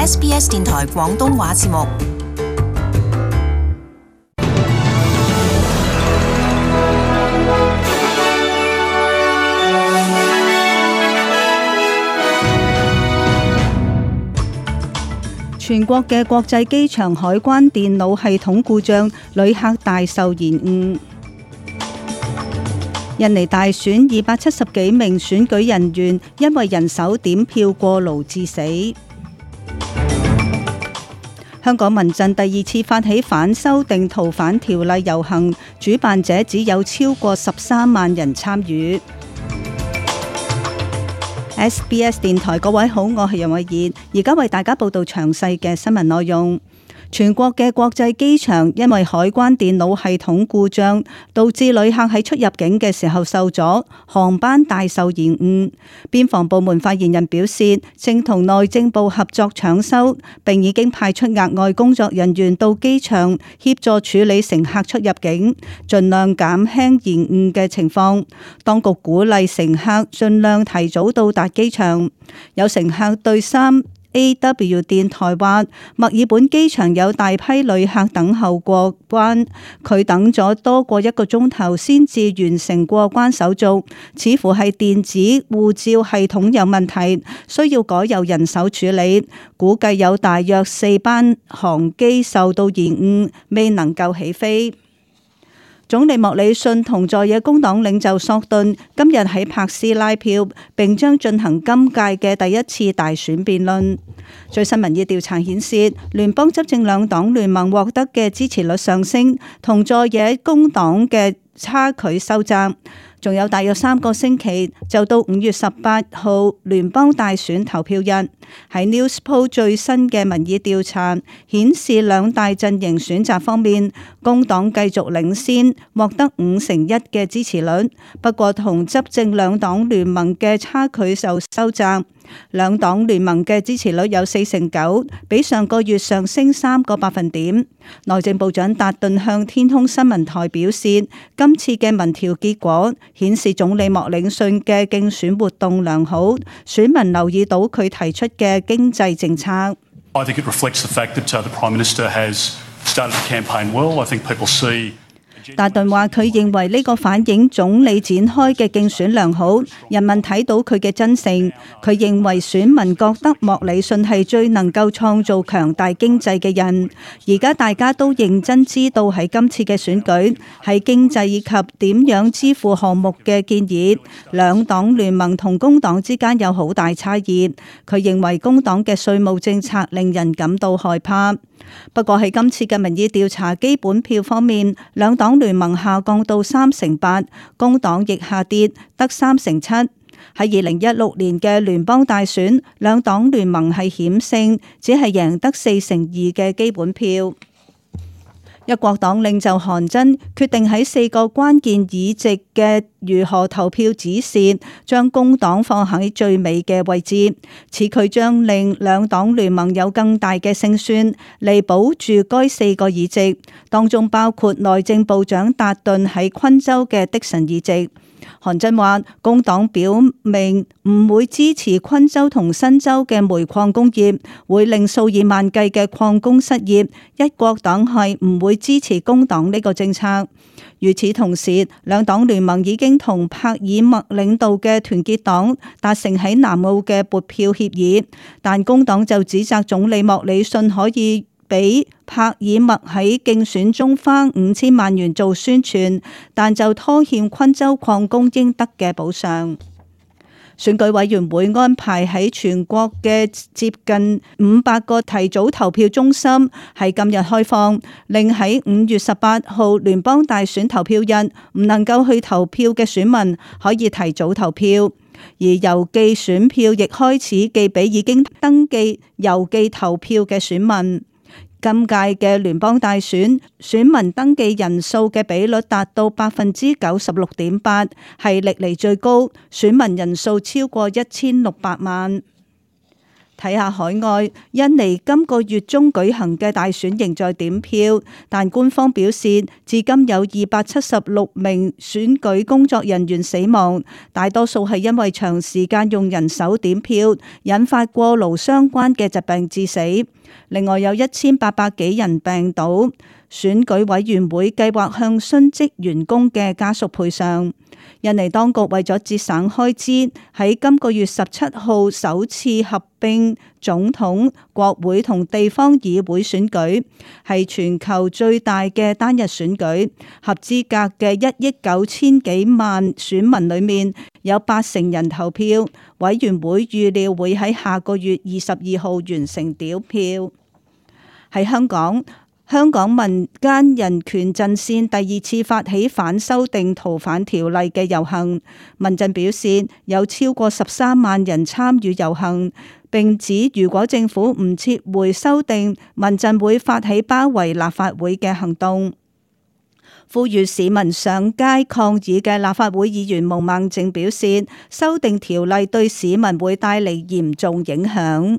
SBS 電台廣東話節目。全國嘅國際機場海關電腦系統故障，旅客大受延誤。印尼大選270幾名選舉人員因為人手點票過勞致死。香港民陣第二次發起反修訂逃犯條例遊行，主辦者只有超過13萬人參與。SBS 電台各位好，我係楊慧儀，而家為大家報道詳細嘅新聞內容。全國嘅國際機場因為海關電腦系統故障，導致旅客喺出入境嘅時候受阻，航班大受延誤。邊防部門發言人表示，正同內政部合作搶修，並已經派出額外工作人員到機場協助處理乘客出入境，盡量減輕延誤嘅情況。當局鼓勵乘客盡量提早到達機場。有乘客對3AW 電台話，墨爾本機場有大批旅客等候過關，佢等咗多過1個鐘頭先至完成過關手續，似乎係電子護照系統有問題，需要改由人手處理。估計有大約4班航機受到延誤，未能夠起飛。總理莫里遜同在野工黨領袖索頓今日喺柏斯拉票，並將進行今屆嘅第一次大選辯論。最新民意調查顯示，聯邦執政兩黨聯盟獲得嘅支持率上升，同在野工黨嘅差距收窄。仲有大約3個星期就到5月18號聯邦大選投票日。喺 Newspoll 最新嘅民意調查顯示，兩大陣營選擇方面，工黨繼續領先，獲得51%嘅支持率。不過同執政兩黨聯盟嘅差距就收窄。兩黨聯盟嘅支持率有49%，比上個月上升3個百分點。內政部長達頓向天空新聞台表示，今次嘅民調結果顯示總理莫里遜嘅競選活動良好，選民留意到佢提出嘅經濟政策。I think it reflects the fact that the Prime Minister has started the campaign well. I think people see。達頓話：佢認為呢個反映總理展開嘅競選良好，人民睇到佢嘅真誠。佢認為選民覺得莫里遜係最能夠創造強大經濟嘅人。而家大家都認真知道喺今次嘅選舉，喺經濟以及點樣支付項目嘅建議，兩黨聯盟同工黨之間有好大差異。佢認為工黨嘅稅務政策令人感到害怕。不過喺今次嘅民意調查基本票方面，兩黨聯盟下降到38%，工黨亦下跌得37%。喺2016年嘅聯邦大選，兩黨聯盟係險勝，只係贏得42%嘅基本票。一國黨領袖韓真決定喺4個關鍵議席嘅如何投票指示，將工黨放喺最尾嘅位置，此佢將令兩黨聯盟有更大嘅勝算嚟保住該4個議席，當中包括內政部長達頓喺昆州嘅的神議席。韓真話，工黨表明唔會支持昆州同新州嘅煤礦工業，會令數以萬計嘅礦工失業。一國黨係唔會支持工黨呢個政策。與此同時，兩黨聯盟已經同帕爾默領導嘅團結黨達成喺南澳嘅撥票協議，但工黨就指責總理莫里遜可以俾帕爾默喺競選中花5000萬元做宣傳，但就拖欠昆州礦工應得嘅補償。選舉委員會安排喺全國嘅接近500個提早投票中心喺今日開放，令喺5月18號聯邦大選投票日唔能夠去投票嘅選民可以提早投票，而郵寄選票亦開始寄俾已經登記郵寄投票嘅選民。今屆嘅聯邦大選，選民登記人數嘅比率達到96.8%，係歷嚟最高，選民人數超過1600萬。睇下海外，印尼今個月中舉行嘅大選仍在點票，但官方表示至今有276名選舉工作人員死亡，大多數係因為長時間用人手點票，引發過勞相關嘅疾病致死。另外有1800幾人病倒，選舉委員會計劃向殉職員工嘅家屬賠償。印尼當局為咗節省開支，喺今個月17號首次合併總統、國會同地方議會選舉，係全球最大嘅單日選舉。合資格嘅1億9千幾萬選民裏面，有80%人投票。委員會預料會喺下個月22號完成點票。喺香港民間人權陣線第二次發起反修訂逃犯條例嘅遊行，民陣表示有超過13萬人參與遊行，並指如果政府唔撤回修訂，民陣會發起包圍立法會嘅行動。呼籲市民上街抗議嘅立法會議員毛孟靜表示，修訂條例對市民會帶嚟嚴重影響。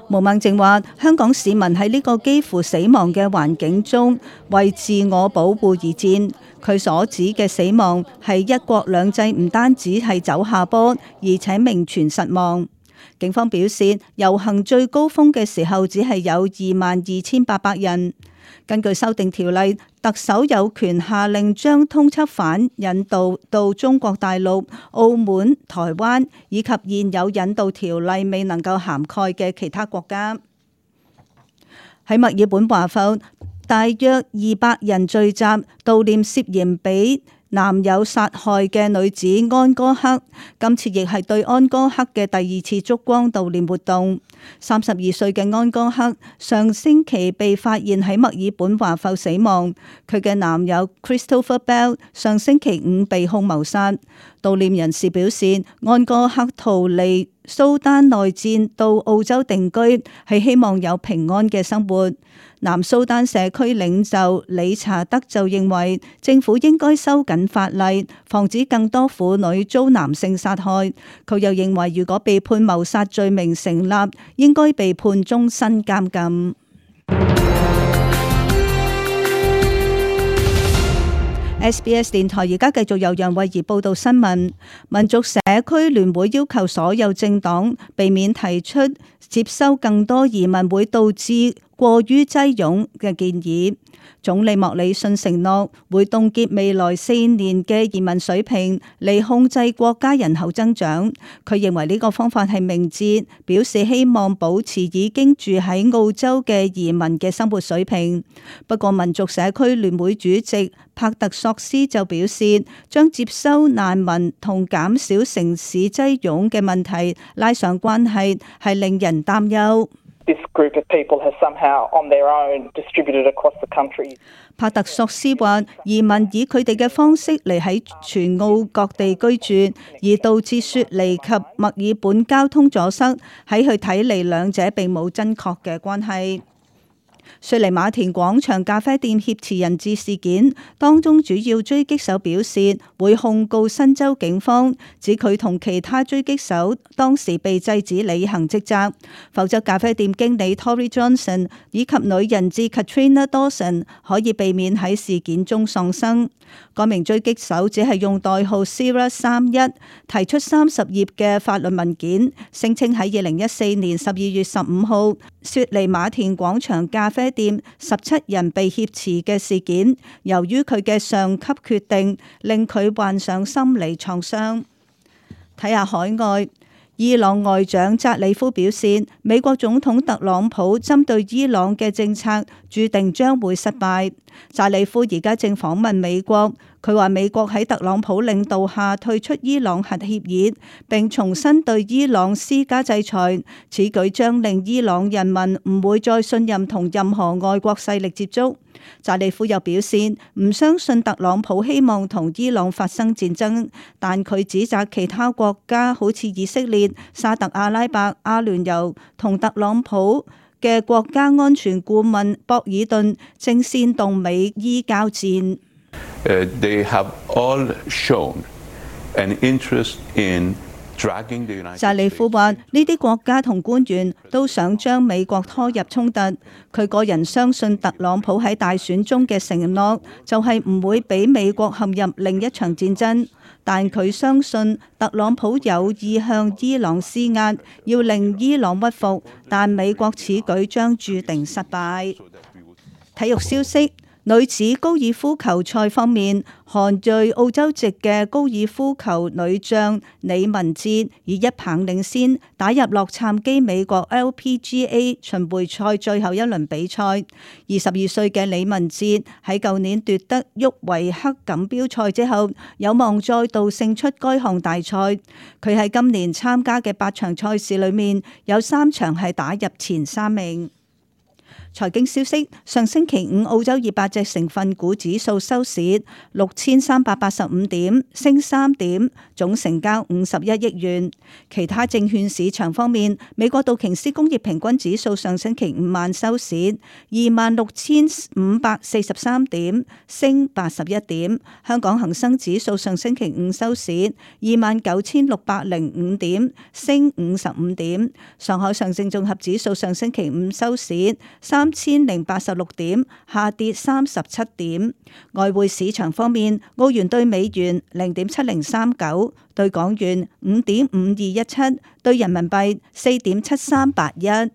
毛孟靜話：香港市民喺呢個幾乎死亡嘅環境中為自我保護而戰。佢所指嘅死亡係一國兩制唔單止係走下坡，而且名存實亡。警方表示，遊行最高峰嘅時候只係有22,800人。根據修訂條例，特首有權下令將通緝犯引渡到中國大陸、澳門、台灣以及現有引渡條例未能夠涵蓋嘅其他國家。喺墨爾本華埠，大約200人聚集悼念涉嫌被男友殺害嘅女子安哥克，今次亦係對安哥克嘅第二次燭光悼念活動。32歲嘅安哥克上星期被發現喺墨爾本華埠死亡，佢嘅男友 Christopher Bell 上星期5被控謀殺。悼念人士表示，安哥克逃離蘇丹內戰到澳洲定居，係希望有平安嘅生活。南蘇丹社區領袖理查德就認為政府應該收緊法例，防止更多婦女遭男性殺害。佢又認為如果被判謀殺罪名成立，應該被判終身監禁。SBS 電台而家繼續由楊慧儀報道新聞。民族社區聯會要求所有政黨避免提出接收更多移民會導致過於擠擁嘅建議。總理莫里遜承諾會凍結未來4年嘅移民水平嚟控制國家人口增長。佢認為呢個方法係明智，表示希望保持已經住喺澳洲嘅移民嘅生活水平。不過民族社區聯會主席帕特索斯就表示，將接收難民同減少城市擠擁嘅問題拉上關係，係令人擔憂。This group of people has somehow on their own distributed across the country. 帕特索斯話：移民以佢哋嘅方式嚟喺全澳各地居住，而導致雪梨及墨爾本交通阻塞。喺佢睇嚟，兩者並冇真確嘅關係。雪梨馬田廣場咖啡店挾持人質事件當中，主要狙擊手表示會控告新州警方，指佢同其他狙擊手當時被制止履行職責，否則咖啡店經理 Tori Johnson 以及女人質 Katrina Dawson 可以避免喺事件中喪生。該名狙擊手只係用代號 Sierra 31提出30頁嘅法律文件，聲稱喺2014年12月15號雪梨馬田廣場咖啡店17人被挾持嘅事件，由於佢嘅上級決定，令佢患上心理創傷。睇下海外，伊朗外長扎里夫表示，美國總統特朗普針對伊朗嘅政策注定將會失敗。扎里夫而家正訪問美國，佢話美國喺特朗普領導下退出伊朗核協議，並重新對伊朗施加制裁。此舉將令伊朗人民唔會再信任同任何外國勢力接觸。扎里夫又表示唔相信特朗普希望同伊朗發生戰爭，但佢指責其他國家好似以色列、沙特阿拉伯、阿聯酋同特朗普嘅國家安全顧問博爾頓正煽動美伊交戰。They have all shown an interest in dragging the United States. 扎里夫話：呢啲國家同官員都想將美國拖入衝突。佢個人相信特朗普喺大選中嘅承諾就係唔會俾美國陷入另一場戰爭，但佢相信特朗普有意向伊朗施壓，要令伊朗屈服，但美國此舉將注定失敗。體育消息。女子高爾夫球賽方面，韓裔澳洲籍嘅高爾夫球女將李文哲以1棒領先，打入洛杉磯美國 LPGA 巡迴賽最後一輪比賽。22歲嘅李文哲喺舊年奪得沃維克錦標賽之後，有望再度勝出該項大賽。佢喺今年參加嘅8場賽事裏面，有3場係打入前3名。財經消息：上星期五澳洲200隻成分股指數收市6385點，升3點，總成交51億元。其他證券市場方面，美國道瓊斯工業平均指數上星期五晚收市26,543點，升81點。香港恒生指數上星期五收市29,605點，升55點。上海上證綜合指數上星期五收市3,086點，下跌37點。外匯市場方面，澳元兌美元0.7039，兌港元5.5217，兌人民幣4.7381。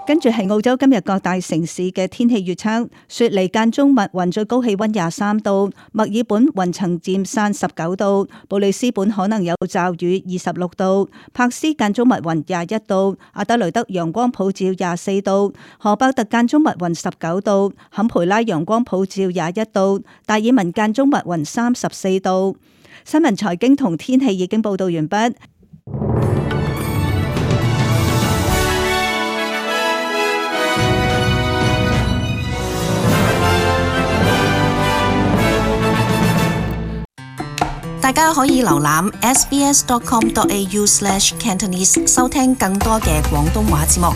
跟住係澳洲今日各大城市嘅天氣預測：雪梨間中密雲，最高氣溫23度；墨爾本雲層漸散19度；布里斯本可能有驟雨26度；柏斯間中密雲21度；阿德雷德陽光普照24度；荷伯特間中密雲19度；坎培拉陽光普照21度；達爾文間中密雲34度。新聞財經同天氣已經報道完畢。大家可以瀏覽 sbs.com.au/cantonese 收聽更多嘅廣東話節目。